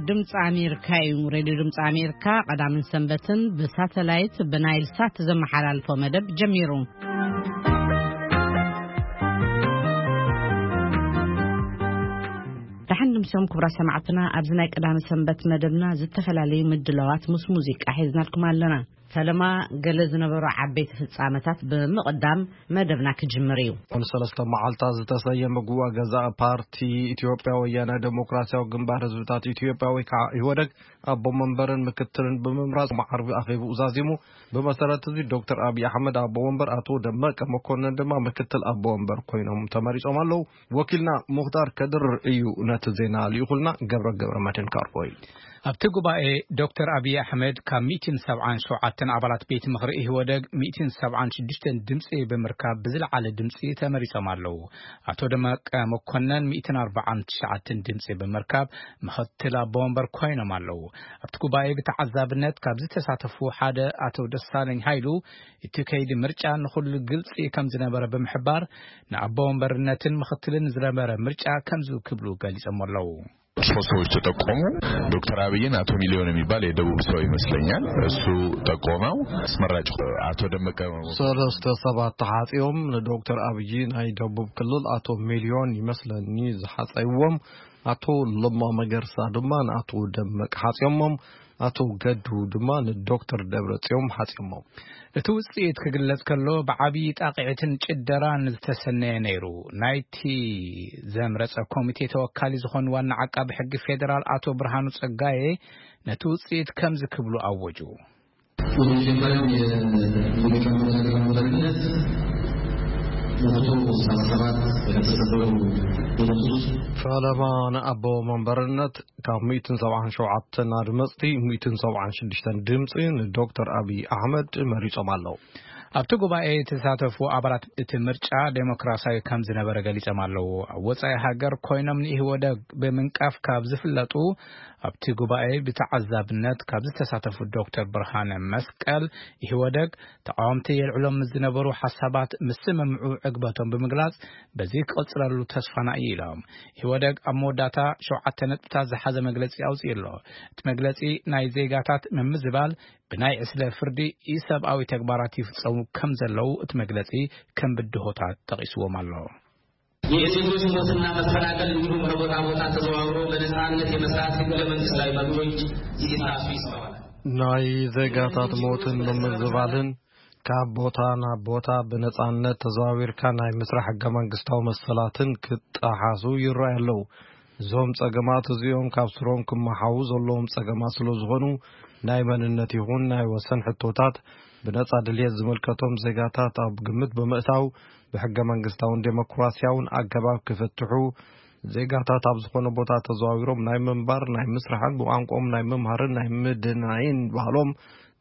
ድምፂ ኣሜሪካ እዩ። ሬድዮ ድምፂ ኣሜሪካ ቀዳምን ሰንበትን ብሳተላይት ብናይል ሳት ዘመሓላልፎ መደብ ጀሚሩ። ደሓን ድምሶም ክቡራት ሰማዕትና፣ ኣብዚ ናይ ቀዳሚ ሰንበት መደብና ዝተፈላለዩ ምድላዋት ምስ ሙዚቃ ሒዝናልኩም ኣለና። ፈለማ ገለ ዝነበሩ ዓበይቲ ፍጻመታት ብምቕዳም መደብና ክጅምር እዩ። ሰለስተ መዓልታት ዝተሰየመ ጉባኤ ገዛኢ ፓርቲ ኢትዮጵያ ወያነ ዴሞክራሲያዊ ግንባር ህዝብታት ኢትዮጵያ ወይ ከዓ ኢህወደግ ኣቦ መንበርን ምክትልን ብምምራጽ ዓርቢ ኣኼቡ ዛዚሙ። ብመሰረት እዚ ዶክተር ኣብይ ኣሕመድ ኣቦ መንበር፣ ኣቶ ደመቀ መኮንን ድማ ምክትል ኣቦ መንበር ኮይኖም ተመሪጾም ኣለዉ። ወኪልና ሙኽታር ከድር እዩ ነቲ ዜና ልኢኹልና። ገብረ ገብረ መድህን ካርቦይ። ኣብቲ ጉባኤ ዶክተር ኣብይ ኣሕመድ ካብ ሚእትን ሰብዓን ሸውዓተን ኣባላት ቤት ምኽሪ ኢህወደግ ሚእትን ሰብዓን ሽዱሽተን ድምፂ ብምርካብ ብዝለዓለ ድምፂ ተመሪጾም ኣለዉ። ኣቶ ደመቀ መኮነን ሚእትን ኣርባዓን ትሽዓተን ድምፂ ብምርካብ ምኽትል ኣቦ ወንበር ኮይኖም ኣለዉ። ኣብቲ ጉባኤ ብተዓዛብነት ካብ ዝተሳተፉ ሓደ ኣቶ ደሳለኝ ሃይሉ፣ እቲ ከይዲ ምርጫ ንኹሉ ግልፂ ከም ዝነበረ ብምሕባር፣ ንኣቦ ወንበርነትን ምኽትልን ዝነበረ ምርጫ ከምዚ ክብሉ ገሊጾም ኣለዉ። ሶስት ሰዎች ተጠቆሙ። ዶክተር አብይን አቶ ሚሊዮን የሚባል የደቡብ ሰው ይመስለኛል፣ እሱ ጠቆመው አስመራጭ። አቶ ደመቀ ሰለስተ ሰባት ተሓፂኦም። ንዶክተር ኣብይ ናይ ደቡብ ክልል ኣቶ ሚሊዮን ይመስለኒ ዝሓፀይዎም፣ ኣቶ ለማ መገርሳ ድማ ንኣቶ ደመቀ ሓፂዮሞም፣ ኣቶ ገዱ ድማ ንዶክተር ደብረ ፅዮም ሓፂዮሞም። እቲ ውፅኢት ክግለጽ ከሎ፣ ብዓብዪ ጣቕዒትን ጭደራን ዝተሰነየ ነይሩ። ናይቲ ዘምረጸ ኮሚቴ ተወካሊ ዝኾኑ ዋና ዓቃቢ ሕጊ ፌዴራል ኣቶ ብርሃኑ ጸጋዬ ነቲ ውጽኢት ከምዚ ክብሉ ኣወጁ። የመጀመሪያው የሊቀመንበር ሀገራዊ መሪነት መቶ ሰባት የተሰደሩ ድምጾች ፈለማ ንኣቦ መንበርነት ካብ ሚእትን ሰብዓን ሸውዓተን ኣድመፅቲ፣ ሚእትን ሰብዓን ሽዱሽተን ድምፂ ንዶክተር ኣብይ ኣሕመድ መሪፆም ኣለዉ። ኣብቲ ጉባኤ የተሳተፉ ኣባላት እቲ ምርጫ ዴሞክራሲያዊ ከም ዝነበረ ገሊጾም ኣለዉ። ኣብ ወጻኢ ሃገር ኮይኖም ንኢህወደግ ብምንቃፍ ካብ ዝፍለጡ፣ ኣብቲ ጉባኤ ብተዓዛብነት ካብ ዝተሳተፉ ዶክተር ብርሃነ መስቀል፣ ኢህወደግ ተቃወምቲ የልዕሎም ምስ ዝነበሩ ሓሳባት ምስምምዑ ዕግበቶም ብምግላጽ፣ በዚ ክቕጽለሉ ተስፋና እዩ ኢሎም። ኢህወደግ ኣብ መወዳእታ ሸውዓተ ነጥብታት ዝሓዘ መግለጺ ኣውጺኡ ኣሎ። እቲ መግለጺ ናይ ዜጋታት ምምዝባል ብናይ ዕስለ ፍርዲ ኢሰብኣዊ ተግባራት ይፍጸሙ ከም ዘለዉ እቲ መግለጺ ከም ብድሆታት ጠቒስዎም ኣሎ። የዜጎች ሞትና መፈናቀል እንዲሁም ከቦታ ቦታ ተዘዋውሮ በነጻነት የመስራት ህገ መንግስታዊ መብቶች ሲጣሱ ይስተዋላል። ናይ ዜጋታት ሞትን ምምዝባልን፣ ካብ ቦታ ናብ ቦታ ብነጻነት ተዘዋዊርካ ናይ ምስራሕ ሕገ መንግስታዊ መሰላትን ክጠሓሱ ይረኣዩ ኣለዉ። እዞም ጸገማት እዚኦም ካብ ስሮም ክመሓዉ ዘለዎም ጸገማት ስለ ዝኾኑ፣ ናይ መንነት ይኹን ናይ ወሰን ሕቶታት ብነጻ ድልየት ዝምልከቶም ዜጋታት ኣብ ግምት ብምእታው፣ ብሕገ መንግስታውን ዴሞክራሲያውን ኣገባብ ክፍትሑ፣ ዜጋታት ኣብ ዝኾነ ቦታ ተዘዋዊሮም ናይ ምንባር፣ ናይ ምስራሕን ብቋንቋኦም ናይ ምምሃርን ናይ ምድናይን ባህሎም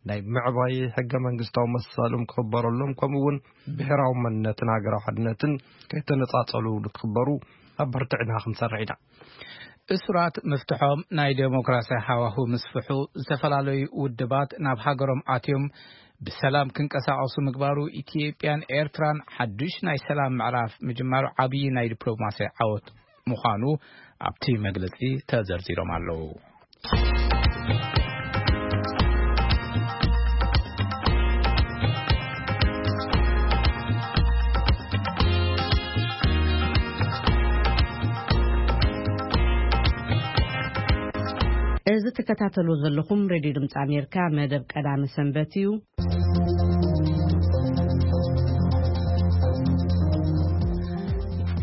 ናይ ምዕባይ ሕገ መንግስታዊ መሰሎም ክኽበረሎም፣ ከምኡ እውን ብሔራዊ መንነትን ሃገራዊ ሓድነትን ከይተነጻጸሉ ንክኽበሩ ኣበርቲዕና ክንሰርሕ ኢና። እሱራት ምፍትሖም ናይ ዴሞክራሲያዊ ሃዋሁ ምስፍሑ፣ ዝተፈላለዩ ውድባት ናብ ሃገሮም ኣትዮም ብሰላም ክንቀሳቐሱ ምግባሩ፣ ኢትዮጵያን ኤርትራን ሓዱሽ ናይ ሰላም ምዕራፍ ምጅማሩ ዓብዪ ናይ ዲፕሎማሲ ዓወት ምዃኑ ኣብቲ መግለጺ ተዘርዚሮም ኣለዉ። እዚ ትከታተሉ ዘለኹም ሬድዮ ድምፂ ኣሜሪካ መደብ ቀዳሚ ሰንበት እዩ።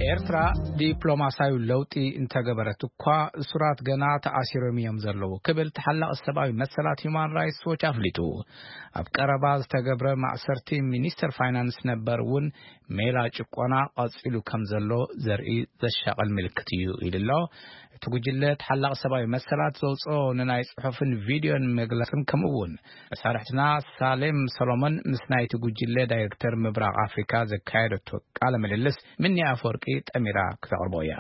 ኤርትራ ዲፕሎማሲያዊ ለውጢ እንተገበረት እኳ፣ እሱራት ገና ተኣሲሮም እዮም ዘለዉ ክብል ተሓላቒ ሰብኣዊ መሰላት ሁማን ራይትስ ዎች ኣፍሊጡ። ኣብ ቀረባ ዝተገብረ ማእሰርቲ ሚኒስተር ፋይናንስ ነበር እውን ሜላ ጭቆና ቀጺሉ ከም ዘሎ ዘርኢ ዘሻቕል ምልክት እዩ ኢሉ ኣሎ። እቲ ጉጅለ ተሓላቒ ሰብኣዊ መሰላት ዘውፅኦ ንናይ ጽሑፍን ቪድዮን መግለጽን፣ ከምኡ እውን መሳርሕትና ሳሌም ሰሎሞን ምስ ናይቲ ጉጅለ ዳይሬክተር ምብራቕ ኣፍሪካ ዘካየደቶ ቃለ ምልልስ ምኒ ኣፈወርቂ ጠሚራ ክተቕርቦ እያ።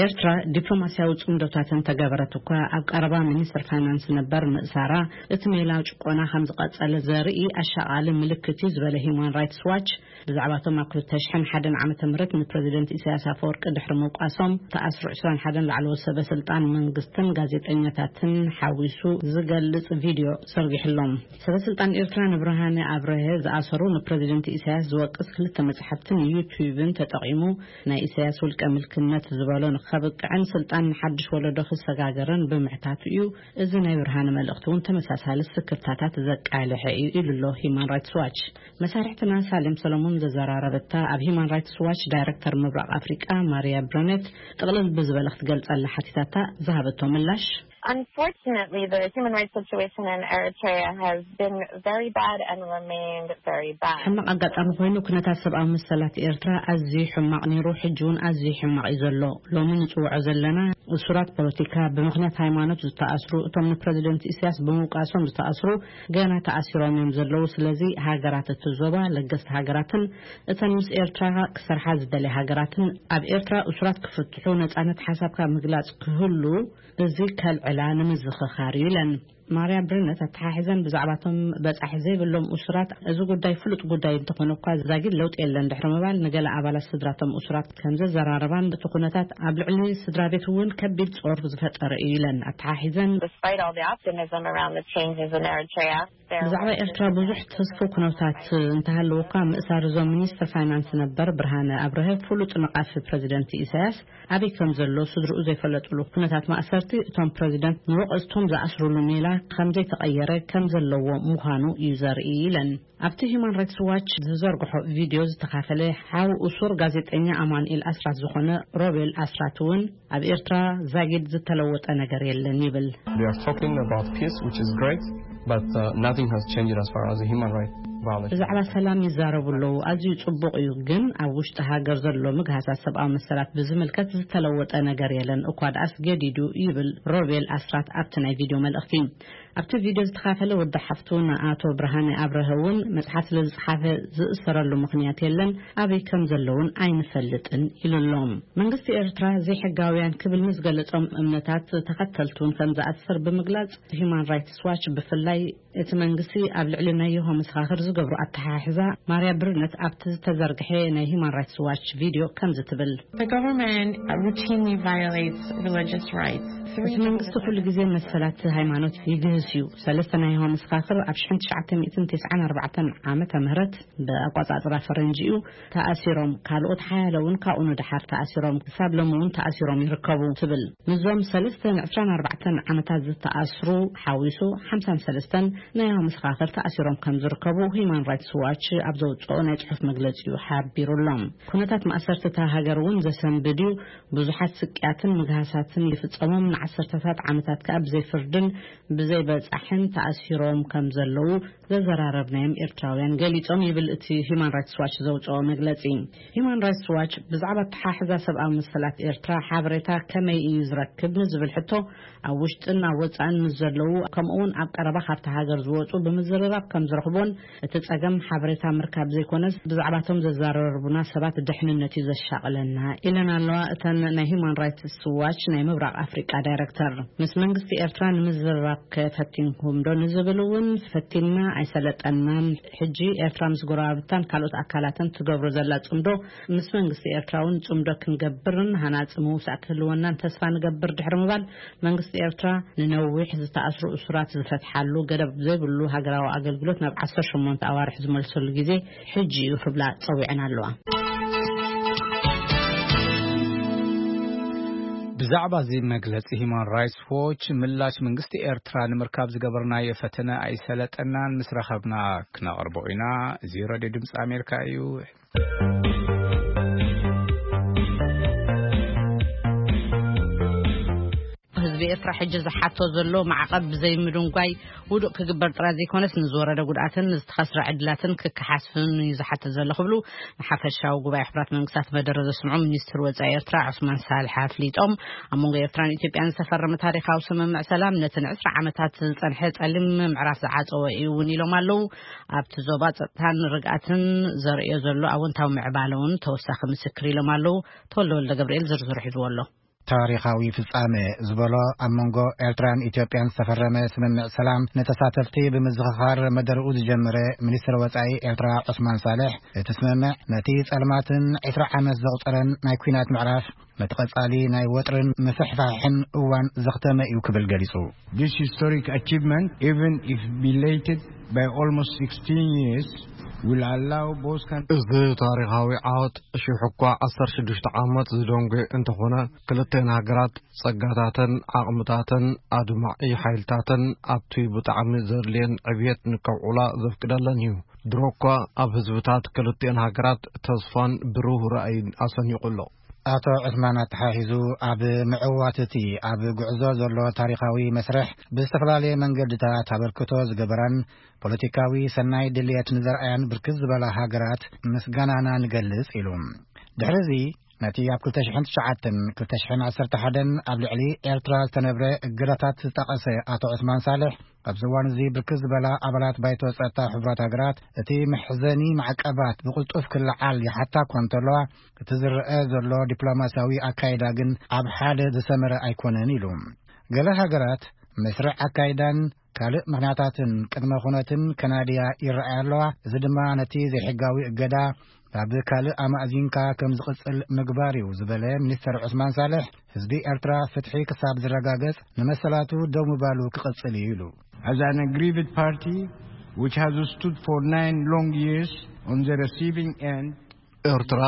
ኤርትራ ዲፕሎማስያዊ ጽምዶታት እንተገበረት እኳ፣ ኣብ ቀረባ ሚኒስትር ፋይናንስ ነበር ምእሳራ፣ እቲ ሜላ ጭቆና ከም ዝቐጸለ ዘርኢ ኣሻቓሊ ምልክት እዩ ዝበለ ሂዩማን ራይትስ ዋች፣ ብዛዕባቶም ኣብ ክልተ ሽሕን ሓደን ዓመተ ምህረት ንፕረዚደንት ኢሳያስ ኣፈወርቂ ድሕሪ ምውቃሶም ተኣስሩ ዕስራን ሓደን ላዕለዎት ሰበ ስልጣን መንግስትን ጋዜጠኛታትን ሓዊሱ ዝገልጽ ቪድዮ ዘርጊሕሎም። ሰበ ስልጣን ኤርትራ ንብርሃነ ኣብረሀ ዝኣሰሩ ንፕረዚደንት ኢሳያስ ዝወቅስ ክልተ መጽሓፍትን ዩቱብን ተጠቒሙ ናይ ኢሳያስ ውልቀ ምልክነት ዝበሎ ንኸብቅዕን ስልጣን ንሓድሽ ወለዶ ክሰጋገርን ብምሕታቱ እዩ። እዚ ናይ ብርሃነ መልእኽቲ እውን ተመሳሳሊ ስክፍታታት ዘቃልሐ እዩ ኢሉ ኣሎ ሂዩማን ራይትስ ዋች። መሳርሕትና ሳሌም ሰለሞን ዘዘራረበታ ኣብ ሂዩማን ራይትስ ዋች ዳይረክተር ምብራቕ ኣፍሪቃ ማርያ ብረነት ጥቕልል ብዝበለ ክትገልጸላ ሓቲታታ ዝሃበቶ ምላሽ፣ Unfortunately, the human rights situation in Eritrea has been very bad and remained very bad. ሕማቕ ኣጋጣሚ ኮይኑ ኩነታት ሰብኣዊ መሰላት ኤርትራ ኣዝዩ ሕማቕ ነይሩ፣ ሕጂ እውን ኣዝዩ ሕማቕ እዩ ዘሎ። ሎሚ ንጽውዖ ዘለና እሱራት ፖለቲካ፣ ብምኽንያት ሃይማኖት ዝተኣስሩ፣ እቶም ንፕረዚደንት ኢሳያስ ብምውቃሶም ዝተኣስሩ ገና ተኣሲሮም እዮም ዘለዉ። ስለዚ ሃገራት እቲ ዞባ፣ ለገስቲ ሃገራትን እተን ምስ ኤርትራ ክሰርሓ ዝደልያ ሃገራትን ኣብ ኤርትራ እሱራት ክፍትሑ፣ ነጻነት ሓሳብካ ምግላጽ ክህሉ እዚ ከልዕላ ንምዝኽኻር እዩ ኢለን። ማርያ ብርነት ኣተሓሒዘን ብዛዕባቶም በጻሒ ዘይብሎም እሱራት፣ እዚ ጉዳይ ፍሉጥ ጉዳይ እንተኾነ እኳ ዛጊድ ለውጢ የለን ድሕሪ ምባል፣ ንገለ ኣባላት ስድራቶም እሱራት ከም ዘዘራረባን እቲ ኩነታት ኣብ ልዕሊ ስድራ ቤት እውን ከቢድ ጾር ዝፈጠረ እዩ ኢለን ኣተሓሒዘን። Despite all the optimism around the changes in Eritrea, there ብዛዕባ was ኤርትራ ብዙሕ ተስፉ ኩነታት እንተሃለወ እኳ፣ ምእሳር እዞም ሚኒስትር ፋይናንስ ነበር ብርሃነ ኣብርሀ፣ ፍሉጥ ነቓፊ ፕረዚደንት ኢሳያስ፣ ኣበይ ከም ዘሎ ስድርኡ ዘይፈለጥሉ ኩነታት ማእሰርቲ፣ እቶም ፕረዚደንት ንወቐዝቶም ዝኣስሩሉ ሜላ ከም ዘይተቐየረ ከም ዘለዎ ምዃኑ እዩ ዘርኢ ኢለን። ኣብቲ ሂዩማን ራይትስ ዋች ዝዘርግሖ ቪድዮ ዝተኻፈለ ሓው እሱር ጋዜጠኛ ኣማኑኤል ኣስራት ዝኾነ ሮቤል ኣስራት እውን፣ ኣብ ኤርትራ ዛጊድ ዝተለወጠ ነገር የለን ይብል። They are talking about peace, which is great, but uh, nothing has changed as far as the human rights violation. ብዛዕባ ሰላም ይዛረቡ ኣለዉ፣ ኣዝዩ ጽቡቕ እዩ፣ ግን ኣብ ውሽጢ ሃገር ዘሎ ምግሃሳት ሰብኣዊ መሰላት ብዝምልከት ዝተለወጠ ነገር የለን፣ እኳ ደኣስ ገዲዱ ይብል ሮቤል ኣስራት ኣብቲ ናይ ቪድዮ መልእኽቲ። ኣብቲ ቪድዮ ዝተኻፈለ ወዲ ሓፍቱ ንኣቶ ብርሃነ ኣብረሀ እውን መጽሓፍ ስለ ዝጸሓፈ ዝእሰረሉ ምኽንያት የለን፣ ኣበይ ከም ዘለውን ኣይንፈልጥን ኢሉ ኣሎ። መንግስቲ ኤርትራ ዘይሕጋውያን ክብል ምስ ገለጾም እምነታት ተኸተልቱን ከም ዝኣስር ብምግላጽ፣ ሂዩማን ራይትስ ዋች ብፍላይ እቲ መንግስቲ ኣብ ልዕሊ ናይ የሆዋ መሰኻኽር ዝገብሮ ኣተሓሕዛ ማርያ ብርነት ኣብቲ ዝተዘርግሐ ናይ ሂዩማን ራይትስ ዋች ቪድዮ ከምዚ ትብል። The government routinely violates religious rights. እቲ መንግስቲ ኩሉ ግዜ መሰላት ሃይማኖት ይግህስ እዩ። ሰለስተ ናይ የሆዋ መሰኻኽር ኣብ ሽሕን ትሽዓተ ሚእትን ተስዓን ኣርባዕተን ዓመተ ምህረት ብኣቋጻጽራ ፈረንጂ እዩ ተኣሲሮም። ካልኦት ሓያለ እውን ካብኡ ንደሓር ተኣሲሮም፣ ክሳብ ሎሚ እውን ተኣሲሮም ይርከቡ ትብል። ምስዞም ሰለስተ ንዕስራን ኣርባዕተን ዓመታት ዝተኣስሩ ሓዊሱ ሓምሳን ሰለስተን ናይ የሆዋ መሰኻኽር ተኣሲሮም ከም ዝርከቡ ሂዩማን ራይትስ ዋች ኣብ ዘውጽኦ ናይ ጽሑፍ መግለጺ እዩ ሓቢሩ ኣሎ። ኩነታት ማእሰርቲ እታ ሃገር እውን ዘሰንብድ እዩ። ብዙሓት ስቅያትን ምግሃሳትን ይፍጸሞም፣ ንዓሰርተታት ዓመታት ከኣ ብዘይ ፍርድን ብዘይ በጻሕን ተኣሲሮም ከም ዘለዉ ዘዘራረብናዮም ኤርትራውያን ገሊጾም ይብል እቲ ሂዩማን ራይትስ ዋች ዘውጽኦ መግለጺ። ሂዩማን ራይትስ ዋች ብዛዕባ ኣተሓሕዛ ሰብኣዊ መሰላት ኤርትራ ሓበሬታ ከመይ እዩ ዝረክብ ንዝብል ሕቶ፣ ኣብ ውሽጥን ኣብ ወጻእን ምስ ዘለዉ፣ ከምኡውን ኣብ ቀረባ ካብቲ ሃገር ዝወጹ ብምዝርራብ ከም ዝረኽቦን፣ እቲ ጸገም ሓበሬታ ምርካብ ዘይኮነስ ብዛዕባቶም ዘዘራርቡና ሰባት ደሕንነት እዩ ዘሻቕለና ኢለን ኣለዋ እተን ናይ ሂዩማን ራይትስ ዋች ናይ ምብራቕ ኣፍሪቃ ዳይረክተር። ምስ መንግስቲ ኤርትራ ንምዝርራብ ከፈቲንኩም ዶ ንዝብል እውን፣ ፈቲንና ኣይሰለጠናን። ሕጂ ኤርትራ ምስ ጎረባብታን ካልኦት ኣካላትን ትገብሮ ዘላ ጽምዶ፣ ምስ መንግስቲ ኤርትራ እውን ጽምዶ ክንገብርን ሃናጺ ምውሳእ ክህልወናን ተስፋ ንገብር ድሕሪ ምባል፣ መንግስቲ ኤርትራ ንነዊሕ ዝተኣስሩ እሱራት ዝፈትሓሉ፣ ገደብ ዘይብሉ ሃገራዊ ኣገልግሎት ናብ ዓሰርተ ሸሞንተ ኣዋርሕ ዝመልሰሉ ግዜ ሕጂ እዩ ክብላ ጸዊዐን ኣለዋ። ብዛዕባ እዚ መግለጺ ሂዩማን ራይትስ ዎች ምላሽ መንግስቲ ኤርትራ ንምርካብ ዝገበርናዮ ፈተነ ኣይሰለጠናን፣ ምስ ረኸብና ክነቕርቦ ኢና። እዚ ሬድዮ ድምጺ ኣሜሪካ እዩ። ህዝቢ ኤርትራ ሕጂ ዝሓቶ ዘሎ ማዕቐብ ብዘይምድንጓይ ውዱእ ክግበር ጥራይ ዘይኮነስ፣ ንዝወረደ ጉድኣትን ንዝተኸስረ ዕድላትን ክከሓስን እዩ ዝሓትት ዘሎ ክብሉ ንሓፈሻዊ ጉባኤ ሕቡራት መንግስታት መደረ ዘስምዑ ሚኒስትር ወጻኢ ኤርትራ ዑስማን ሳልሕ ኣፍሊጦም። ኣብ መንጎ ኤርትራን ኢትዮጵያን ዝተፈረመ ታሪኻዊ ስምምዕ ሰላም፣ ነቲ ንዕስራ ዓመታት ዝጸንሐ ጸሊም ምዕራፍ ዝዓጸወ እዩ እውን ኢሎም ኣለዉ። ኣብቲ ዞባ ጸጥታን ርግኣትን ዘርእዮ ዘሎ ኣወንታዊ ምዕባለ እውን ተወሳኺ ምስክር ኢሎም ኣለዉ። ተወልደ ወልደ ገብርኤል ዝርዝሩ ሒዝዎ ኣሎ። ታሪኻዊ ፍጻመ ዝበሎ ኣብ መንጎ ኤርትራን ኢትዮጵያን ዝተፈረመ ስምምዕ ሰላም ንተሳተፍቲ ብምዝኽኻር መደርኡ ዝጀመረ ሚኒስትር ወጻኢ ኤርትራ ዑስማን ሳልሕ፣ እቲ ስምምዕ ነቲ ጸልማትን ዕስራ ዓመት ዘቑጸረን ናይ ኲናት ምዕራፍ፣ ነቲ ቀጻሊ ናይ ወጥርን ምስሕፋሕን እዋን ዘኽተመ እዩ ክብል ገሊጹ። This historic achievement, even if belated by almost sixteen years, will allow both countries እዚ ታሪኻዊ ዓወት ሽሕ እኳ ዓሰርተ ሽዱሽተ ዓመት ዝደንጎ እንተኾነ፣ ክልተን ሃገራት ጸጋታተን ዓቕምታተን ኣድማዒ ሓይልታተን ኣብቲ ብጣዕሚ ዘድልየን ዕብየት ንከውዕላ ዘፍቅደለን እዩ። ድሮ እኳ ኣብ ህዝብታት ክልተን ሃገራት ተስፋን ብሩህ ራእይን ኣሰኒቑ ኣሎ። ኣቶ ዑስማን ኣተሓሒዙ፣ ኣብ ምዕዋት እቲ ኣብ ጉዕዞ ዘሎ ታሪኻዊ መስርሕ ብዝተፈላለየ መንገድታት ኣበርክቶ ዝገበራን ፖለቲካዊ ሰናይ ድልየት ንዘርኣያን ብርክት ዝበላ ሃገራት ምስጋናና ንገልጽ ኢሉ። ድሕሪ እዚ ነቲ ኣብ ክልተ ሽሕን ትሽዓተን ክልተ ሽሕን ዓሰርተ ሓደን ኣብ ልዕሊ ኤርትራ ዝተነብረ እገዳታት ዝጠቐሰ ኣቶ ዑስማን ሳልሕ፣ ኣብዚ እዋን እዚ ብርክት ዝበላ ኣባላት ባይቶ ጸጥታ ሕቡራት ሃገራት እቲ መሕዘኒ ማዕቀባት ብቕልጡፍ ክለዓል ይሓታ እኳ እንተለዋ፣ እቲ ዝረአ ዘሎ ዲፕሎማስያዊ ኣካይዳ ግን ኣብ ሓደ ዝሰመረ ኣይኮነን ኢሉ። ገለ ሃገራት መስርዕ ኣካይዳን ካልእ ምኽንያታትን ቅድመ ኩነትን ከናድያ ይረኣያ ኣለዋ። እዚ ድማ ነቲ ዘይሕጋዊ እገዳ ናብ ካልእ ኣማእዚንካ ከም ዝቕጽል ምግባር እዩ ዝበለ ሚኒስተር ዑስማን ሳልሕ፣ ህዝቢ ኤርትራ ፍትሒ ክሳብ ዝረጋገጽ ንመሰላቱ ደው ምባሉ ክቕጽል እዩ ኢሉ። As an aggrieved party which has stood for nine long years on the receiving end, ኤርትራ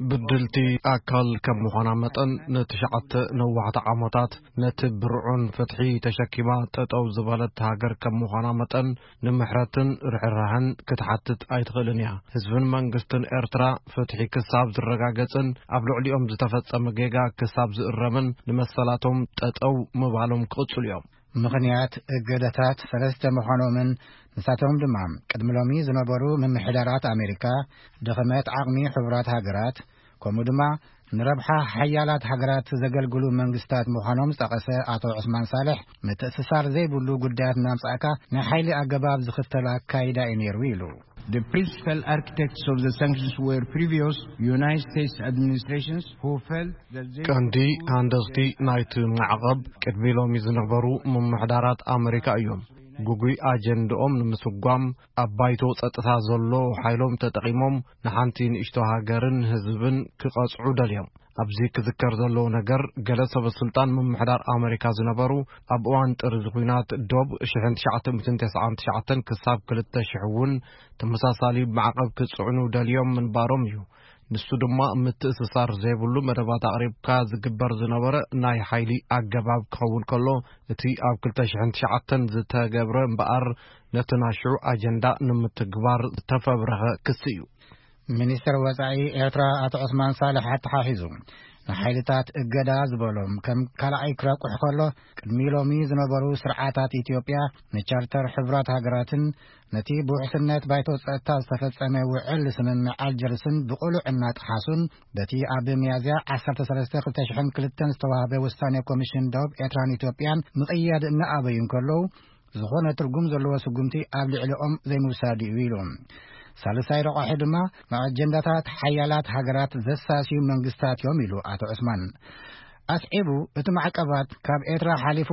ብድልቲ ኣካል ከም ምዃና መጠን፣ ንትሽዓተ ነዋሕቲ ዓመታት ነቲ ብርዑን ፍትሒ ተሸኪማ ጠጠው ዝበለት ሃገር ከም ምዃና መጠን፣ ንምሕረትን ርሕራሕን ክትሓትት ኣይትኽእልን እያ። ህዝብን መንግስትን ኤርትራ ፍትሒ ክሳብ ዝረጋገጽን ኣብ ልዕሊኦም ዝተፈጸመ ጌጋ ክሳብ ዝእረምን ንመሰላቶም ጠጠው ምባሎም ክቕጽሉ እዮም። ምኽንያት እገዳታት ሰለስተ ምዃኖምን ንሳቶም ድማ ቅድሚ ሎሚ ዝነበሩ ምምሕዳራት ኣሜሪካ፣ ድኽመት ዓቕሚ ሕቡራት ሃገራት፣ ከምኡ ድማ ንረብሓ ሓያላት ሃገራት ዘገልግሉ መንግስታት ምዃኖም ዝጠቐሰ ኣቶ ዑስማን ሳልሕ፣ ምትእስሳር ዘይብሉ ጉዳያት እናምጻእካ ናይ ሓይሊ ኣገባብ ዝኽተል ኣካይዳ እዩ ነይሩ ኢሉ። The principal architects of the sanctions were previous United States administrations who felt that they ቀንዲ ሃንደስቲ ናይቲ ማዕቐብ ቅድሚ ሎሚ ዝነበሩ ምምሕዳራት ኣመሪካ እዮም። ግጉይ ኣጀንድኦም ንምስጓም ኣብ ባይቶ ጸጥታ ዘሎ ሓይሎም ተጠቒሞም ንሓንቲ ንእሽቶ ሃገርን ህዝብን ክቐጽዑ ደልዮም። ኣብዚ ክዝከር ዘለዎ ነገር፣ ገለ ሰበ ስልጣን ምምሕዳር ኣመሪካ ዝነበሩ ኣብ እዋን ጥሪ ኲናት ዶብ ሽሕን ትሽዓተ ሚእትን ተስዓን ትሽዓተን ክሳብ ክልተ ሽሕ እውን ተመሳሳሊ ማዕቐብ ክጽዕኑ ደልዮም ምንባሮም እዩ። ንሱ ድማ ምትእስሳር ዘይብሉ መደባት ኣቕሪብካ ዝግበር ዝነበረ ናይ ሓይሊ ኣገባብ ክኸውን ከሎ፣ እቲ ኣብ ክልተ ሽሕን ትሽዓተን ዝተገብረ እምበኣር ነቲ ናይ ሽዑ ኣጀንዳ ንምትግባር ዝተፈብረኸ ክሲ እዩ። ሚኒስትር ወጻኢ ኤርትራ ኣቶ ዑስማን ሳልሕ ኣተሓሒዙ፣ ንሓይልታት እገዳ ዝበሎም ከም ካልኣይ ክረቁሕ ከሎ፣ ቅድሚ ሎሚ ዝነበሩ ስርዓታት ኢትዮጵያ ንቻርተር ሕቡራት ሃገራትን ነቲ ብውሕስነት ባይቶ ጸጥታ ዝተፈጸመ ውዕል ስምምዕ ኣልጀርስን ብቕሉዕ እናጠሓሱን፣ በቲ ኣብ ሚያዝያ ዓሰርተ ሰለስተ ክልተ ሽሕን ክልተን ዝተዋህበ ውሳኔ ኮሚሽን ዶብ ኤርትራን ኢትዮጵያን ምቕያድ እናኣበዩ እንከለዉ፣ ዝኾነ ትርጉም ዘለዎ ስጉምቲ ኣብ ልዕሊኦም ዘይምውሳድ እዩ ኢሉ። ሳልሳይ ረቋሒ ድማ ንኣጀንዳታት ሓያላት ሃገራት ዘሳስዩ መንግስታት እዮም ኢሉ ኣቶ ዑስማን። ኣስዒቡ፣ እቲ ማዕቀባት ካብ ኤርትራ ሓሊፉ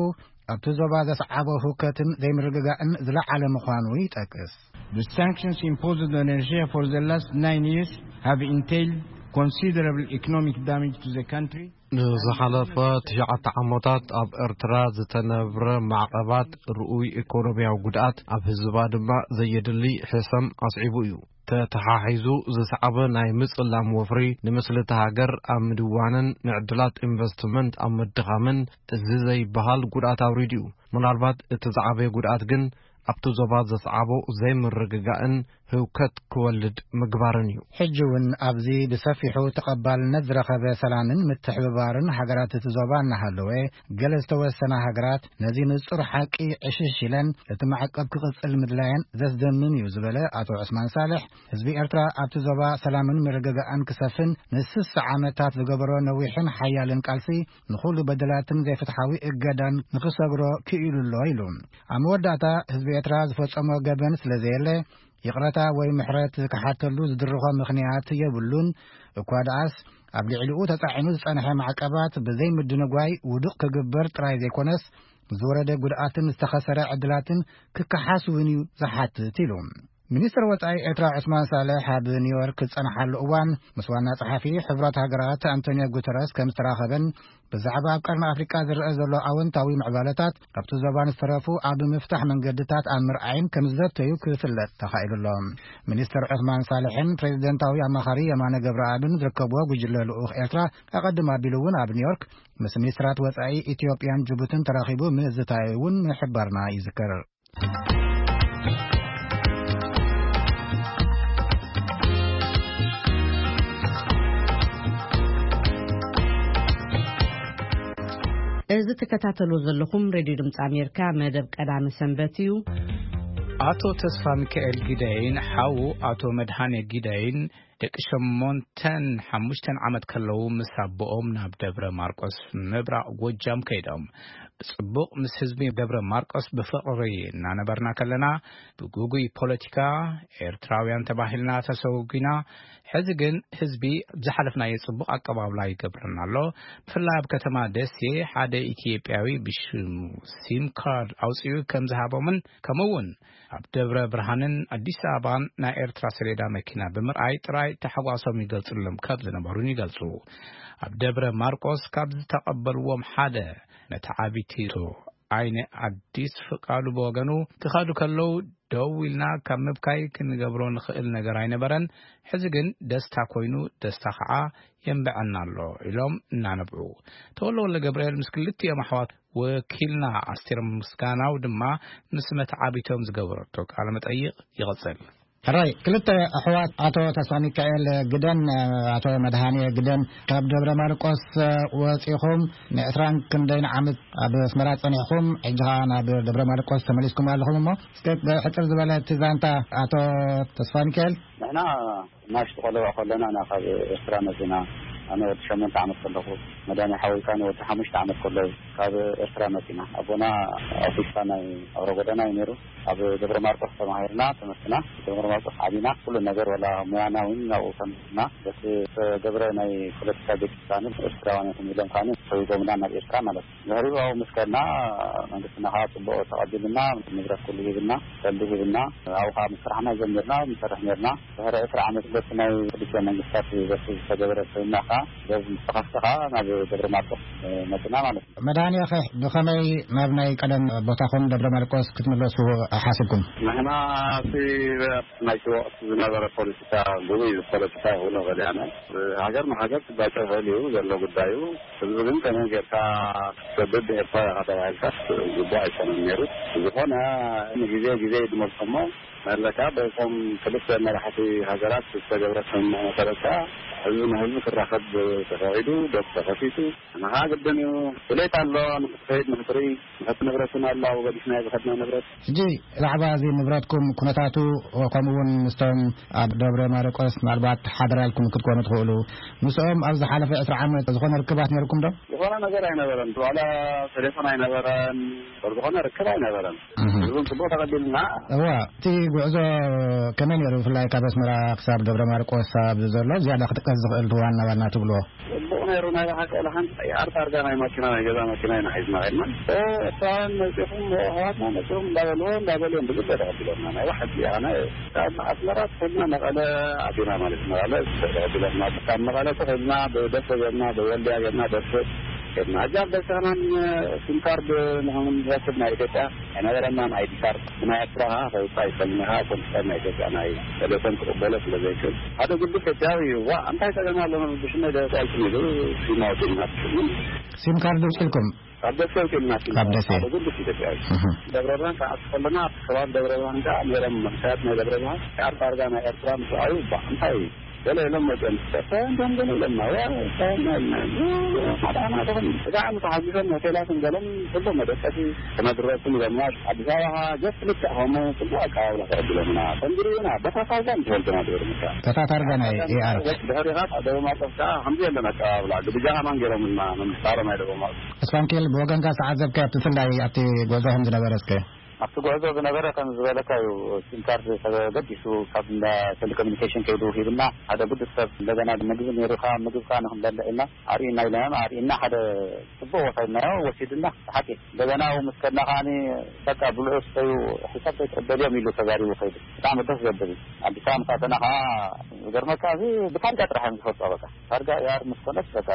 ኣብቲ ዞባ ዘስዓቦ ህውከትን ዘይምርግጋእን ዝለዓለ ምዃኑ ይጠቅስ። The sanctions imposed on Eritrea for the last nine years have entailed considerable economic damage to the country. ንዝሓለፈ ትሽዓተ ዓመታት ኣብ ኤርትራ ዝተነብረ ማዕቐባት ርኡይ ኢኮኖሚያዊ ጉድኣት፣ ኣብ ህዝባ ድማ ዘየድሊ ሕሰም ኣስዒቡ እዩ። ተተሓሒዙ ዝሰዓበ ናይ ምጽላም ወፍሪ፣ ንምስሊ እታ ሃገር ኣብ ምድዋንን ንዕድላት ኢንቨስትመንት ኣብ ምድኻምን እዚ ዘይበሃል ጉድኣት ኣውሪዱ እዩ። ምናልባት እቲ ዝዓበየ ጉድኣት ግን ኣብቲ ዞባ ዘስዓቦ ዘይምርግጋእን ህውከት ክወልድ ምግባርን እዩ። ሕጂ እውን ኣብዚ ብሰፊሑ ተቐባልነት ዝረኸበ ሰላምን ምትሕብባርን ሃገራት እቲ ዞባ እናሃለወ፣ ገለ ዝተወሰና ሃገራት ነዚ ንጹር ሓቂ ዕሽሽ ኢለን እቲ ማዕቀብ ክቕጽል ምድላየን ዘስደምም እዩ ዝበለ ኣቶ ዑስማን ሳልሕ፣ ህዝቢ ኤርትራ ኣብቲ ዞባ ሰላምን ምርግጋእን ክሰፍን ንስሳ ዓመታት ዝገበሮ ነዊሕን ሓያልን ቃልሲ፣ ንኹሉ በደላትን ዘይፍትሓዊ እገዳን ንኽሰግሮ ክኢሉ ኣሎ ኢሉ። ኣብ መወዳእታ ህዝቢ ኤርትራ ዝፈጸሞ ገበን ስለ ዘየለ፣ ይቕረታ ወይ ምሕረት ክሓተሉ ዝድርኾ ምኽንያት የብሉን። እኳ ደኣስ፣ ኣብ ልዕሊኡ ተጻዒኑ ዝጸንሐ ማዕቀባት ብዘይ ምድንጓይ ውዱቕ ክግበር ጥራይ ዘይኮነስ፣ ዝወረደ ጉድኣትን ዝተኸሰረ ዕድላትን ክከሓስ እውን እዩ ዝሓትት ኢሉ። ሚኒስትር ወጻኢ ኤርትራ ዑስማን ሳልሕ ኣብ ኒውዮርክ ዝጸንሓሉ እዋን፣ ምስ ዋና ጸሓፊ ሕቡራት ሃገራት ኣንቶኒዮ ጉተረስ ከም ዝተራኸበን፣ ብዛዕባ ኣብ ቀርኒ ኣፍሪቃ ዝረአ ዘሎ ኣወንታዊ ምዕባለታት፣ ኣብቲ ዞባን ዝተረፉ ኣብ ምፍታሕ መንገድታት ኣብ ምርኣይን ከም ዝዘተዩ ክፍለጥ ተኻኢሉ ኣሎ። ሚኒስትር ዑስማን ሳልሕን ፕሬዚደንታዊ ኣማኻሪ የማነ ገብረኣብን ዝርከብዎ ጉጅለ ልኡኽ ኤርትራ፣ ኣቐድም ኣቢሉ እውን ኣብ ኒውዮርክ ምስ ሚኒስትራት ወጻኢ ኢትዮጵያን ጅቡትን ተራኺቡ ምዝታዩ እውን ምሕባርና ይዝከር። እዚ ትከታተሉ ዘለኹም ሬድዮ ድምፂ ኣሜሪካ መደብ ቀዳሚ ሰንበት እዩ። ኣቶ ተስፋ ሚካኤል ጊደይን ሓዉ ኣቶ መድሃኔ ጊደይን ደቂ ሸሞንተን ሓሙሽተን ዓመት ከለዉ ምስ ኣቦኦም ናብ ደብረ ማርቆስ ምብራቕ ጎጃም ከይዶም። ብጽቡቕ ምስ ህዝቢ ደብረ ማርቆስ ብፍቕሪ እናነበርና ከለና፣ ብግጉይ ፖለቲካ ኤርትራውያን ተባሂልና ተሰጉጊና። ሕዚ ግን ህዝቢ ዝሓለፍናዮ ጽቡቕ ኣቀባብላ ይገብረና ኣሎ። ብፍላይ ኣብ ከተማ ደሴ ሓደ ኢትዮጵያዊ ብሽሙ ሲም ካርድ ኣውጺኡ ከም ዝሃቦምን፣ ከምኡ እውን ኣብ ደብረ ብርሃንን ኣዲስ ኣበባን ናይ ኤርትራ ሰሌዳ መኪና ብምርኣይ ጥራይ ታሕጓሶም ይገልጹሎም ካብ ዝነበሩን ይገልጹ። ኣብ ደብረ ማርቆስ ካብ ዝተቐበልዎም ሓደ ነቲ ዓቢ ቲቶ ኣይነ ኣዲስ ፍቃዱ ብወገኑ፣ ክኸዱ ከለዉ ደው ኢልና ካብ ምብካይ ክንገብሮ ንኽእል ነገር ኣይነበረን። ሕዚ ግን ደስታ ኮይኑ፣ ደስታ ኸዓ የንብዐና ኣሎ ኢሎም እናነብዑ። ተወልደ ወልደ ገብርኤል ምስ ክልቲኦም ኣሕዋት ወኪልና ኣስቴር ምስጋናው ድማ ምስ መተዓቢቶም ዝገበረቶ ቃለ መጠይቕ ይቕጽል። ሕራይ፣ ክልተ ኣሕዋት ኣቶ ተስፋ ሚካኤል ግደን ኣቶ መድሃኔ ግደን ካብ ደብረ ማርቆስ ወጺኹም ንዕስራን ክንደይን ዓመት ኣብ ኣስመራ ጸኒሕኩም፣ ሕጂ ኸኣ ናብ ደብረ ማርቆስ ተመሊስኩም ኣለኹም። እሞ እስከ ብሕጽር ዝበለ እቲ ዛንታ ኣቶ ተስፋ ሚካኤል። ንሕና ናሽቱ ቆልዑ ከለና ኢና ካብ ኤርትራ መጺና። ኣነ ወዲ ሸሞንተ ዓመት ከለኹ፣ መድሃኔ ሓወይ ከኣ ወዲ ሓሙሽተ ዓመት ከሎ እዩ ካብ ኤርትራ መጺና። ኣቦና ኣውቶቡስ ናይ ኣውራ ጎዳና እዩ ነይሩ። ኣብ ደብረ ማርቆስ ተማሂርና ትምህርትና፣ ደብረ ማርቆስ ዓቢና። ኩሉ ነገር፣ ዋላ ሙያና እውን ናብኡ ተምሂርና። በቲ ዝተገብረ ናይ ፖለቲካ ግጭት ከኣ ኤርትራውያን ኢኹም ኢሎም ከኣ ሰጒጎምና ናብ ኤርትራ ማለት እዩ። ድሕሪኡ ኣብኡ ምስ ከድና መንግስትና ከኣ ጽቡቕ ተቐቢሉና፣ ንብረት ኩሉ ሂብና፣ ቀልዲ ሂብና። ኣብኡ ከኣ ምስ ስራሕና ጀሚርና፣ ንሰርሕ ነርና። ድሕሪ ዕስራ ዓመት በቲ ናይ ክልቲኦም መንግስታት በቲ ዝተገበረ ስምምዕ ከኣ፣ በዚ ዝተኸፍተ ከኣ ናብ ደብረ ማርቆስ መጺና ማለት እዩ። መድሃኔ ኸ ብኸመይ ናብ ናይ ቀደም ቦታኹም ደብረ ማርቆስ ክትምለሱ ሓሲብኩም? ንሕና እቲ ናይቲ ወቕቲ ዝነበረ ፖለቲካ፣ ግጉይ ፖለቲካ ይኹን ገሊኣና፣ ሃገር ንሃገር ክጋጨ ይኽእል እዩ ዘሎ ጉዳዩ። ህዝቢ ግን ከመይ ጌርካ ክትሰድድ ብኤርትራ ኢኻ ተባሂልካ ግቡእ ኣይኮነን ነይሩ። ዝኾነ ንግዜ ግዜ ይድመልኮ እሞ፣ መለካ በቶም ክልተ መራሕቲ ሃገራት ዝተገብረ ስምምዕ መሰረት ከኣ ህዝቢ ንህዝቢ ክራኸብ ተፈቒዱ፣ ዶብ ተኸፊቱ፣ ንኻ ግድን እዩ። ድሌት ኣሎ ንኽትኸይድ፣ ንኽትርኢ፣ ንሕቲ ንብረት እውን ኣሎ፣ ኣብኡ ገዲፍናዮ ዝኸድና ንብረት። ሕጂ ብዛዕባ እዚ ንብረትኩም ኩነታቱ፣ ከምኡ እውን ምስቶም ኣብ ደብረ ማርቆስ ምናልባት ሓደራ ኢልኩም ክትኮኑ ትኽእሉ፣ ምስኦም ኣብ ዝሓለፈ ዕስራ ዓመት ዝኾነ ርክባት ነይርኩም ዶ? ዝኾነ ነገር ኣይነበረን። ዋላ ቴሌፎን ኣይነበረን። ዝኾነ ርክብ ኣይነበረን። እህ። ህዝቡን ጽቡቕ ተቐቢልና። እዋ፣ እቲ ጉዕዞ ከመይ ነይሩ? ብፍላይ ካብ ኣስመራ ክሳብ ደብረ ማርቆስ ኣብዚ ዘሎ ዝያዳ ክጥቀስ ዝኽእል ዋና ዋና ትብልዎ? ጽቡቕ ነይሩ። ናይ ብሓቂ፣ ወላ ሓንቲ ኣርታ ኣርጋ ናይ ማኪና፣ ናይ ገዛ ማኪና ኢና ሒዝና ኸድና። እ፣ ኤርትራውያን መጺኹም፣ ኣሕዋትና መጺኹም እንዳበልዎ፣ እንዳበልዎም ብግደ ተቐቢሎምና። ናይ ብሓቂ፣ ኣነ ካብ ኣስመራ ተኺልና መቐለ ኣቲና ማለት እዩ። መቐለ ተቐቢሎምና። ካብ መቐለ ተኺልና ብደሴ ጌርና፣ ብወልድያ ጌርና፣ ደሴ ጌርና። ሕጂ ኣብ ደሴ ከማን ሲም ካርድ ንኽንረክብ ናይ ኢትዮጵያ ኣይነበረናን፣ ኣይዲ ካርድ። ብናይ ኤርትራ ከኣ ከውጽእ ኣይክእልን ኢኻ፣ ኮምፒተር ናይ ኢትዮጵያ ናይ ቴሌኮም ክቕበሎ ስለ ዘይክእል። ሓደ ግዱስ ኤርትራዊ እዩ። ዋእ፣ እንታይ ጸገም ኣሎ? ብሽመይ ደስ ኣይልኩም ኢሉ ሲም ኣውጺእልና። ሲም ካርድ ኣውጺእልኩም? ካብ ደሴ ኣውጺእልና ሲም ካብ ካርድ። ደሴ። ሓደ ግዱስ ኢትዮጵያዊ። እህ። ደብረ ብርሃን ክኣቱ ከለና፣ ኣብቲ ከባቢ ደብረ ብርሃን ከኣ ነይሮም መንእሰያት ናይ ደብረ ብርሃን። ኣርባ ኣርጋ ናይ ኤርትራ ምስ ረኣዩ፣ ባ፣ እንታይ እዩ? ገለ ኢሎም መጽኦም፣ ተስፋ እንዲኦም ገለ ኢሎምና፣ ዋ፣ ተስፋ ኢሎምና። ሓደ ዓመት ተኾይኑ፣ ስጋዕ ምስ ተሓጒሶም ሆቴላትን ገሎም ጽቡቕ መደቀሲ ክነድረኩም ኢሎምና። ኣዲስ ኣበባ ኸኣ ጀስት ልክዕ ከምኡ ጽቡቕ ኣቀባብላ ተቐቢሎምና። ከምዚ ርኢና፣ በታ ታርጋ ንዝፈልጡና ድሕሪ ምካ። በታ ታርጋ ናይ ኤኣር። ድሕሪኻ ደብረ ማርቆስ ከኣ ከምዚ የለን ኣቀባብላ። ግብጃ ከማን ገይሮምልና፣ መንግስቲ ዓለም ናይ ደብረ ማርቆስ። እስፋንኬል፣ ብወገንካ ዝተዓዘብካዮ ኣብቲ ብፍላይ ኣብቲ ጉዕዞኹም ዝነበረ እስከ? ኣብቲ ጉዕዞ ዝነበረ ከም ዝበለካ እዩ። ሲም ካርድ ተገዲሱ ካብ እንዳ ቴሌኮሙኒኬሽን ከይዱ ሂብና፣ ሓደ ግዱስ ሰብ እንደገና ምግቢ ነይሩ፣ ካብ ምግብካ ንክንበልዕ ኢልና ኣርእዩና ኢለና፣ ኣርእዩና ሓደ ጽቡቕ ወሳድናዮ ወሲዱና። ብሓቂ እንደገና ኣብኡ ምስ ከድና ከዓኒ በቃ ብልዑ ስተዩ፣ ሕሳብ ከይትቕበልዮም ኢሉ ተዛሪቡ ከይዱ። ብጣዕሚ ደስ ዘብል እዩ። ኣዲስ ኣበባ ምስ ኣተና ከዓ ዝገርመካ እዚ ብታርጋ ጥራሕ እዮም ዝፈልጦ። በቃ ታርጋ ኤኣር ምስ ኮነስ በቃ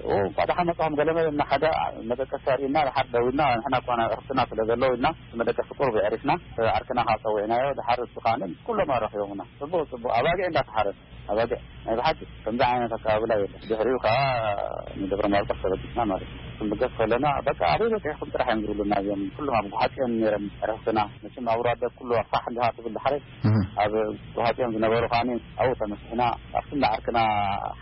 ኦ፣ እንኳዕ ደሓን መጻኹም ገለ መለ እና ሓደ መደቀሲ ኣርእዩና፣ ድሓር ደው ኢልና፣ ንሕና እኳ ናይ ዕረፍትና ስለ ዘለዉ ኢልና፣ መደቀሲ ቁሩብ የዕሪፍና፣ ዓርክና ከዓ ጸዊዕናዮ፣ ድሓር እሱ ከዓ ምስ ኩሎም ኣራኺቦምና። ጽቡቕ፣ ጽቡቕ፣ ኣባጊዕ እንዳተሓረደ፣ ኣባጊዕ፣ ናይ ብሓቂ ከምዚ ዓይነት ኣቀባብላ የለን። ድሕሪኡ ከዓ ንደብረ ማርቆስ ተበጊስና ማለት እዩ። ክንብገስ ከለና፣ በቃ ኣበይ በጺሕኩም ጥራሕ እዮም ዝብሉና እዚኦም። ኩሎም ኣብ ጉሓጽ እዮም ነይሮም ዕረፍትና። መቸም ኣብ ራደ ኩሉ ፋሕ እንዲኻ ትብል ድሓረይ፣ እህ። ኣብ ጉሓጽ እዮም ዝነበሩ ከዓኒ ኣብኡ ተመሲሕና፣ ኣብቲ እንዳ ዓርክና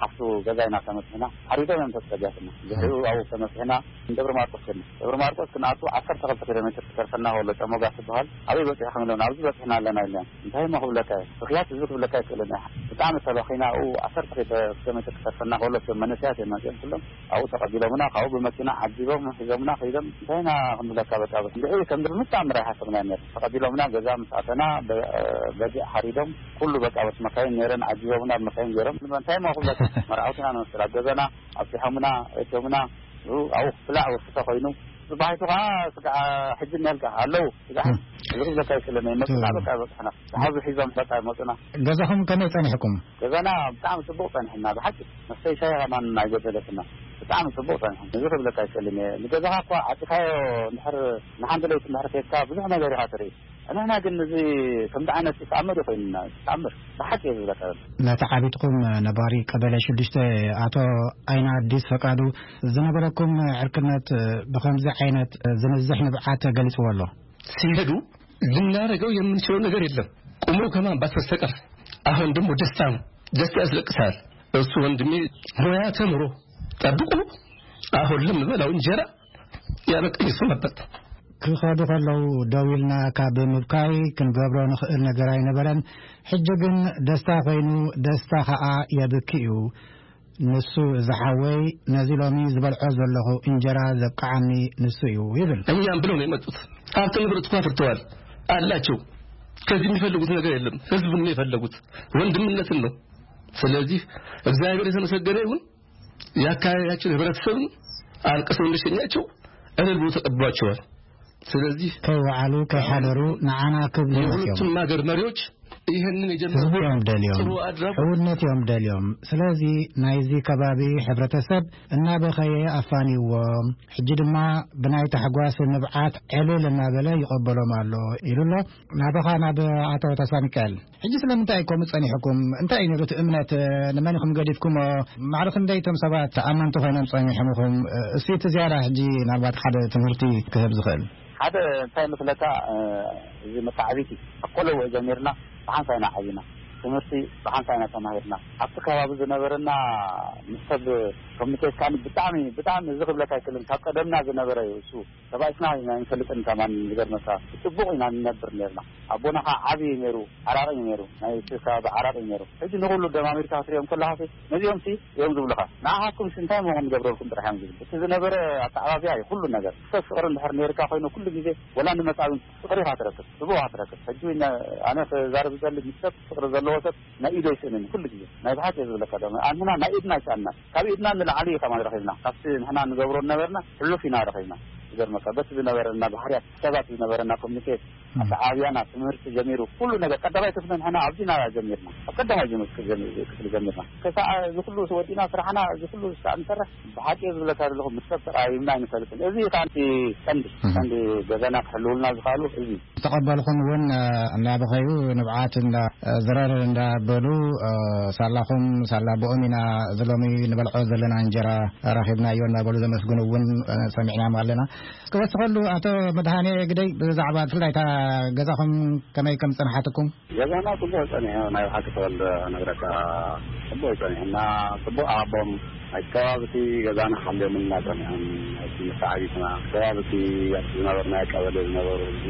ሓፍቱ ገዛ ኢና ተመሲሕና። ሓሪዶም እዮም ተጸጊያትና። ድሕሪኡ ኣብኡ ተመሲሕና ንደብረ ማርቆስ ከድና። ደብረ ማርቆስ ክንኣቱ ዓሰርተ ክልተ ኪሎ ሜትር ክተርፈና ከሎ ጨሞጋ ትበሃል። ኣበይ በጺሕኩም ኢሎም፣ ኣብዚ በጺሕና ኣለና ኢሎም። እንታይ እሞ ክብለካ እየ? ብኽያት ህዝቢ ክብለካ ኣይክእልን እየ። ብጣዕሚ ተበኺና፣ ኣብኡ ዓሰርተ ኪሎ ሜትር ክተርፈና ከሎ እቶም መንእሰያት እዮም መጺኦም ኩሎም። ኣብኡ ተቐቢሎምና፣ ካብኡ ብመኪና ዓጂቦም ሒዞምና ከይዶም። እንታይ ኢና ክንብለካ፣ በቃ፣ በቃ፣ እንድዒ ከም ድብል ምተኣምር ኣይሓሰብናዮ ነይሩ። ተቐቢሎምና፣ ገዛ ምስ ኣተና፣ በ-፣ በጊዕ ሓሪዶም፣ ኩሉ በቃ፣ በስ መካይን ነይረን ዓጂቦምና፣ ብመካይን ገይሮም። እንታይ እሞ ክብለካ፣ መርዓውቲ ኢና ንመስል። ኣብ ገዛና ኣብጺሖምና፣ ኣእትዮምና፣ ኣብኡ ክብላዕ ወስተ ኮይኑ፣ ጽባሒቱ ከኣ ስጋዕ ሕጂ እኒሀልካ ኣለዉ። ስጋዕ እም። እዚ ክብለካ ኣይክእልን እየ። መጽና፣ እም። በቃ፣ በጽሕና። ዝሓዙ ሒዞም በቃ መጹና። ገዛኹም ከመይ ጸኒሕኩም? ገዛና ብጣዕሚ ጽቡቕ ጸኒሕና፣ ብሓቂ። መስተይ ሻሂ ከማን ኣይጎደለትና። ብጣዕሚ ጽቡቕ ጸኒሑ። እዚ ክብለካ ኣይክእልን እየ። ንገዛኻ እኳ ዓጺኻዮ እንድሕር ንሓንቲ ለይቲ እንድሕር ከድካ ብዙሕ ነገር ኢኻ ትርኢ። ንሕና ግን እዚ ከምዚ ዓይነት ተኣምር እዩ ኮይኑና፣ ተኣምር። ብሓቂ እየ ዝብለካ ዘሎ። ነቲ ዓቢጥኩም ነባሪ ቀበሌ ሽዱሽተ ኣቶ ኣይና ኣዲስ ፈቃዱ ዝነበረኩም ዕርክነት ብኸምዚ ዓይነት ዝንዝሕ ንብዓት ገሊጽዎ ኣሎ። ሲሄዱ ልናደርገው የምንችለው ነገር የለም፣ ቁሞ ከማንባት በስተቀር። አሁን ደግሞ ደስታ ነው፣ ደስታ ያስለቅሳል። እሱ ወንድሜ ሙያ ተምሮ ጠብቆ አሁን ለምበላው እንጀራ ያበቃኝ እሱ ነበር። ክኸዱ ከለዉ ደው ኢልና ካብ ምብካይ ክንገብሮ ንኽእል ነገር ኣይነበረን። ሕጂ ግን ደስታ ኮይኑ፣ ደስታ ኸኣ የብኪ እዩ። ንሱ ዝሓወይ ነዚ ሎሚ ዝበልዖ ዘለኹ እንጀራ ዘብቅዓኒ ንሱ እዩ ይብል። እኛም ብለው ነው የመጡት። ሀብት ንብረት እኮ አፍርተዋል አላቸው። ከዚህ የሚፈልጉት ነገር የለም። ህዝቡን ነው የፈለጉት፣ ወንድምነትን ነው። ስለዚህ እግዚአብሔር የተመሰገነ ይሁን። የአካባቢያችን ህብረተሰብም አልቅሰው እንደሸኛቸው እልል ብሎ ተቀብሏቸዋል። ስለዚህ ከይወዓሉ ከይሓደሩ ንዓና ክብሉ መፅዮም። የሁለቱም ሀገር መሪዎች ይህንን የጀመሩት ህዝቢ እዮም ደልዮም። ጥሩ አድራጎት ሕውነት እዮም ደልዮም። ስለዚ ናይዚ ከባቢ ሕብረተሰብ እናበኸየ ኣፋንይዎም። ሕጂ ድማ ብናይ ታሕጓስ ንብዓት ዕልል እናበለ ይቐበሎም ኣሎ ኢሉ ኣሎ። ናባኻ ናብ ኣቶ ተስፋ ሚካኤል። ሕጂ ስለምንታይ እዩ ከምኡ ጸኒሕኩም? እንታይ እዩ ነይሩ እቲ እምነት? ንመን ኢኹም ገዲፍኩሞ? ማዕረ ክንደይ እቶም ሰባት ኣመንቲ ኮይኖም ጸኒሖም ኢኹም? እስቲ እቲ ዝያዳ ሕጂ ናልባት ሓደ ትምህርቲ ክህብ ዝኽእል። ሓደ እንታይ መስለካ፣ እዚ መተዓቢቲ ካብ ቆለውዕ ጀሚርና ብሓንሳብ ኢና ዓቢና። ትምህርቲ ብሓንሳብ ኢና ተማሂርና። ኣብቲ ከባቢ ዝነበረና ምስ ሰብ ኮሚኒኬት ካኒ ብጣዕሚ፣ ብጣዕሚ እዚ ክብለካ ኣይክእልን። ካብ ቀደምና ዝነበረ እዩ እሱ። ተባኢስና ኢና ኣይንፈልጥን ከማን ዝገርመካ። ብጽቡቕ ኢና ንነብር ነርና። ኣቦና ኸዓ ዓቢ እዩ ነይሩ፣ ዓራቒ እዩ ነይሩ። ናይ እቲ ከባቢ ዓራቒ እዩ ነይሩ። ሕጂ ንኹሉ ደማሚርካ ክትሪኦም ከለኻሲ ነዚኦምሲ እዮም ዝብሉኻ። ንዓኻትኩምሲ እንታይ እሞ ክንገብረልኩም ጥራሕ እዮም ዝብሉ። እቲ ዝነበረ ኣተዓባብያ እዩ ኩሉ ነገር። ሰብ ፍቕሪ እንድሕር ነይርካ ኮይኑ ኩሉ ግዜ ወላ ንመጻብን ፍቕሪ ኢኻ ትረክብ፣ ጽቡቕ ኢኻ ትረክብ። ሕጂ እውን ኣነ ክዛረብ ዝደሊ ምስ ሰብ ፍቕሪ ዘለዎ ሰብ ናይ ኢዱ ኣይስእንን ኩሉ ግዜ። ናይ ብሓቂ እየ ዝብለካ ደማ። ኣንሕና ናይ ኢድና ኣይሰኣንናን። ካብ ኢድና ንላዕሊ እዩ ከማን ረኺብና። ካብቲ ንሕና ንገብሮ ዝነበርና ሕሉፍ ኢና ረኺብና። ዝገርመካ በቲ ዝነበረና ባህርያት ሰባት ዝነበረና ኮሚኒኬት፣ ኣተዓብያና፣ ትምህርቲ ጀሚሩ ኩሉ ነገር ቀዳማይ ክፍሊ ንሕና ኣብዚና ጀሚርና። ኣብ ቀዳማይ ጀምር ክፍሊ ጀሚርና። ከሳዕ እዚ ኩሉ ወዲእና ስራሕና እዚ ኩሉ ስራዕ ንሰርሕ ብሓቂ እየ ዝብለካ ዘለኹ ምስ ሰብ ተቐያይምና ኣይንፈልጥን። እዚ እዩ ከኣ እቲ ቀንዲ፣ እህ። ቀንዲ ገዛና ክሕልውልና ዝኽኣሉ እዚ። ዝተቐበልኹም እውን፣ እ፣ እናበኸዩ ንብዓት እንዳ፣ እ፣ ዝረር እንዳበሉ፣ እ፣ ሳላኹም ሳላ ብኦም ኢና እዚ ሎሚ ንበልዖ ዘለና እንጀራ ረኺብናዮ እናበሉ ዘመስግኑ እውን፣ እ፣ ሰሚዕናዮም ኣለና። ክወስኸሉ ኣቶ መድሃኔ ግደይ ብዛዕባ ብፍላይ እታ ገዛኹም ከመይ ከም ዝጸንሓትኩም? ገዛና ጽቡቕ ጸኒሑ፣ ናይ ብሓቂ ተወልደ ነግረካ፣ ጽቡቕ ጸኒሑ እና ጽቡቕ ኣቦም ናይ ከባቢ እቲ ገዛና ሓልዮምና ጸኒሖም። እቲ መተዓቢትና ከባቢ እቲ ኣብቲ ዝነበርናዮ ቀበሌ ዝነበሩ ህዝቢ፣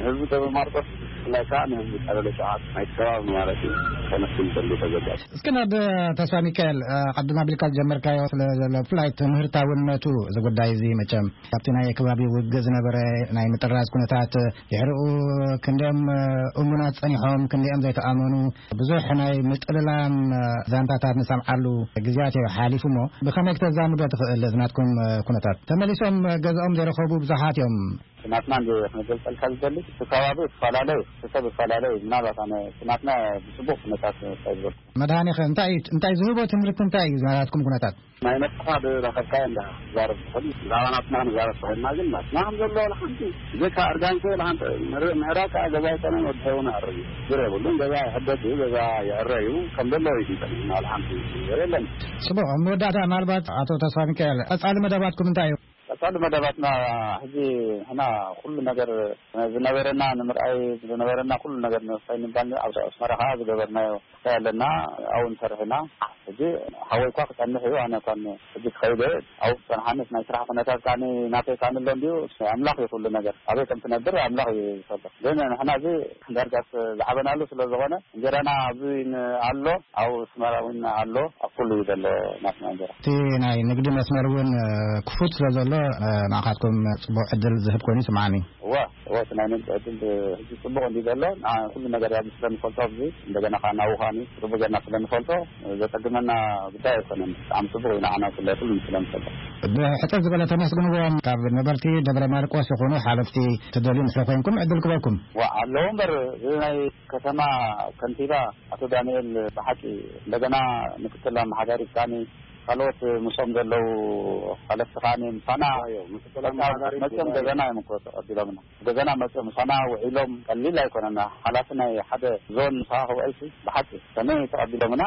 ህዝቢ ደብረ ማርቆስ ብፍላይ ከዓ ንህዝቢ ቀበሌ ሸውዓተ ናይቲ ከባቢ ማለት እዩ ከመስግን ይደሊ ተዘጋጅ። እስኪ ናብ ተስፋ ሚካኤል፣ እ፣ ቅድም ኣቢልካ ዝጀመርካዮ ስለ ዘሎ ብፍላይ ትምህርታውነቱ እዚ ጉዳይ እዚ መቸም ካብቲ ናይ ከባቢ ውግእ ዝነበረ ናይ ምጥራዝ ኩነታት ድሕሪኡ ክንደኦም እሙናት ጸኒሖም፣ ክንደኦም ዘይተኣመኑ፣ ብዙሕ ናይ ምጥልላም ዛንታታት ንሰምዓሉ ግዜያት እዩ ሓሊፉ እሞ፣ ብኸመይ ክተዛምዶ ትኽእል እዚ ናትኩም ኩነታት? ተመሊሶም ገዛኦም ዘይረኸቡ ብዙሓት እዮም። ናትና እንደ ክንገልጸልካ ዝደሊ፣ እቲ ከባቢ ይፈላለ እዩ፣ እቲ ሰብ ይፈላለ እዩ። ምናልባት ኣነ እቲ ናትና ብጽቡቕ ኩነታት እንታይ ዝበልኩ። መድሃኔኸ እንታይ እዩ፣ እንታይ ዝህቦ ትምህርቲ እንታይ እዩ ናትኩም ኩነታት? ናይ ነፍስኻ ዝረኸብካዮ እንዳ ትዛረብ ትኽእል። ብዛዕባ ናትና ክንዛረብ ተኾይንና ግን ናትና ከም ዘሎ ዋላ ሓንቲ ብዘይካ እርጋን ከ ዋላ ሓንቲ ምዕራብ ከዓ ገዛ ኣይኮነን፣ ወዲ ሰብ እውን ኣዕርዩ። ችግር የብሉን። ገዛ ይሕደስ እዩ፣ ገዛ ይዕረ እዩ። ከም ዘለዎ እዩ ዝንጠል። ዋላ ሓንቲ ነገር የለን። ጽቡቕ። ኣብ መወዳእታ ምናልባት ኣቶ ተስፋ ሚካኤል ቀጻሊ መደባትኩም እንታይ እዩ? ቀጻሊ መደባትና ሕጂ ንሕና ኩሉ ነገር ዝነበረና ንምርኣይ ዝነበረና ኩሉ ነገር ንምፍታይ ንባል ኣብ ኣስመራ ከዓ ዝገበርናዮ ክፋይ ኣለና። ኣብኡ ንሰርሕ ኢና። ሕጂ ሓወይ እኳ ክጸንሕ እዩ፣ ኣነ እኳ ሕጂ ክኸይድ እየ። ኣብኡ ክጸንሓኒ ናይ ስራሕ ኩነታት ከዓኒ ናተይ ከዓኒ ኣሎ እንድዩ። ኣምላኽ እዩ ኩሉ ነገር። ኣበይ ከም ትነብር ኣምላኽ እዩ ዝፈልጥ። ግን ንሕና እዚ ዳርጋስ ዝዓበናሉ ስለ ዝኾነ እንጀራና ኣብዚ ን-፣ ኣሎ፣ ኣብ ኣስመራ እውን ኣሎ፣ ኣብ ኩሉ እዩ ዘሎ ናትና እንጀራ። እቲ ናይ ንግዲ መስመር እውን፣ እ፣ ክፉት ስለ ዘሎ፣ እ፣ ንዓኻትኩም ጽቡቕ ዕድል ዝህብ ኮይኑ ይስምዓኒ። እወ፣ እወ፣ እቲ ናይ ንግዲ ዕድል ሕጂ ጽቡቕ እንዲ ዘሎ፣ ንዓ-፣ ኩሉ ነገር ኣብዚ ስለ ንፈልጦ፣ ኣብዚ እንደገና ከዓ ናብኡ ከዓኒ ጽቡቕ ጌርና ስለ ንፈልጦ፣ ዘጸግመና ጉዳይ ኣይኮነን። ብጣዕሚ ጽቡቕ እዩ ንዓና ስለ ኩሉ ስለ ንፈልጦ። ብሕጽር ዝበለ ተመስግንዎም ካብ ነበርቲ ደብረ ማርቆስ ይኹኑ ሓለፍቲ ትደልዩ እንድሕር ኮይንኩም ዕድል ክበኩም። ዋ፣ ኣለዉ እምበር፣ እዚ ናይ ከተማ ከንቲባ ኣቶ ዳንኤል ብሓቂ እንደገና ምክትል ኣመሓዳሪ ብጣዕሚ ካልኦት ምስኦም ዘለዉ ሓለፍቲ ከዓኒ ምሳና እዮ፣ ምክትል በቃ ኣመሓዳሪ መፅኦም ጉባኤ። ገዛና እዮም እኮ ተቐቢሎምና። ገዛና መፅኦም ምሳና ውዒሎም ቀሊል ኣይኮነና። ሓላፊ ናይ ሓደ ዞን ምሳኻ ክውዕልሲ ብሓቂ ከመይ ተቐቢሎምና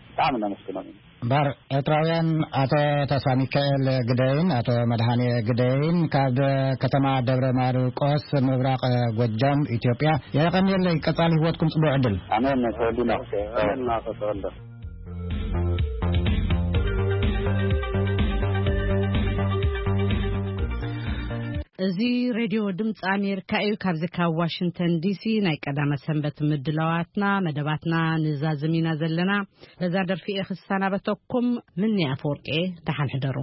ብጣዕሚ ነመስግኖም ኢና። እምበኣር ኤርትራውያን ኣቶ ተስፋ ሚካኤል ግደይን ኣቶ መድሃኔ ግደይን ካብ ከተማ ደብረ ማርቆስ ምብራቕ ጎጃም ኢትዮጵያ የቐንየለይ። ቀጻሊ ህይወትኩም ጽቡቕ ዕድል። ኣሜን። ተወዲና። ኣሜን። እናተወልደ። እዚ ሬድዮ ድምፂ ኣሜሪካ እዩ። ካብዚ ካብ ዋሽንግተን ዲሲ ናይ ቀዳመ ሰንበት ምድላዋትና መደባትና ንዛዝም ኢና ዘለና። በዛ ደርፊ እየ ክሰናበተኩም። ምኒ ኣፈወርቂ እየ። ደሓን ሕደሩ።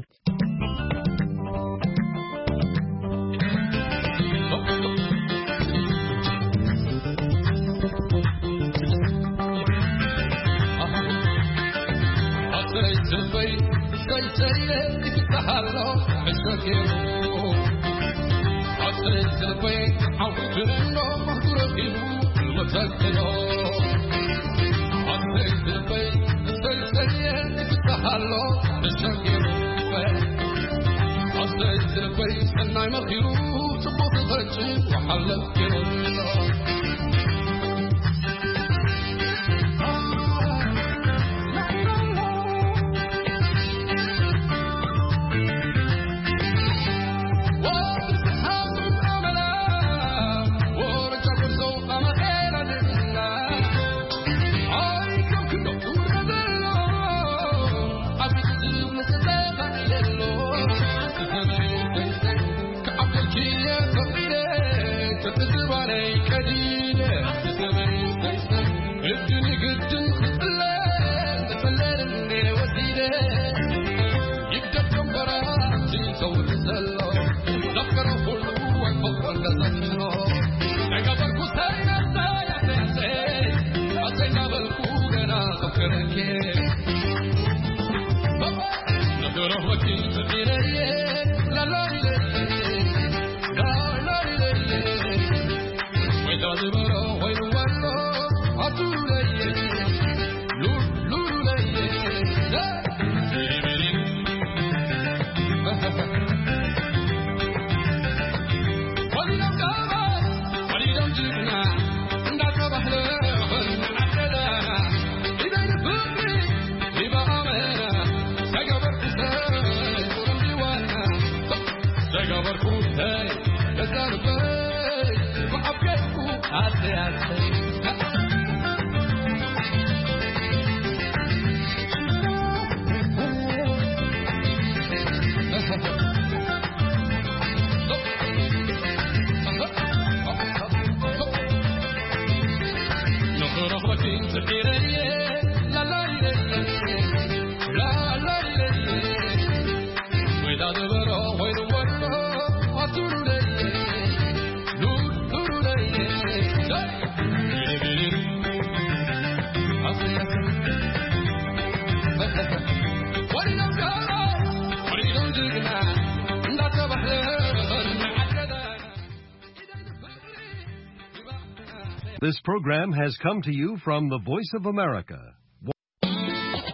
This program has come to you from the Voice of America,